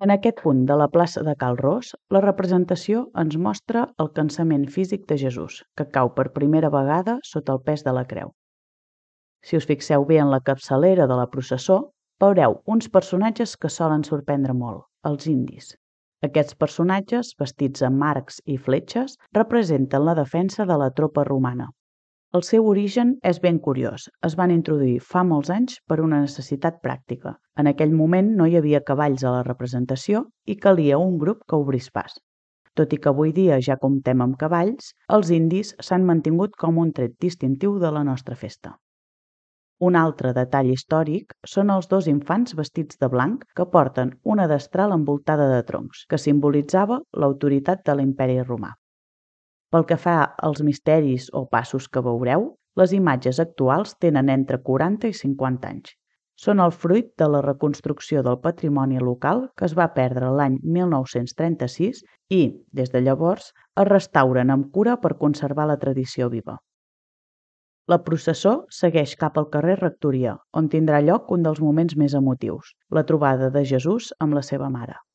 En aquest punt de la plaça de Cal Ros, la representació ens mostra el cansament físic de Jesús, que cau per primera vegada sota el pes de la creu. Si us fixeu bé en la capçalera de la processó, veureu uns personatges que solen sorprendre molt, els indis. Aquests personatges, vestits amb arcs i fletxes, representen la defensa de la tropa romana. El seu origen és ben curiós. Es van introduir fa molts anys per una necessitat pràctica. En aquell moment no hi havia cavalls a la representació i calia un grup que obrís pas. Tot i que avui dia ja comptem amb cavalls, els indis s'han mantingut com un tret distintiu de la nostra festa. Un altre detall històric són els dos infants vestits de blanc que porten una destral envoltada de troncs, que simbolitzava l'autoritat de l'Imperi Romà. Pel que fa als misteris o passos que veureu, les imatges actuals tenen entre 40 i 50 anys. Són el fruit de la reconstrucció del patrimoni local que es va perdre l'any 1936 i, des de llavors, es restauren amb cura per conservar la tradició viva. La processó segueix cap al carrer Rectoria, on tindrà lloc un dels moments més emotius, la trobada de Jesús amb la seva mare.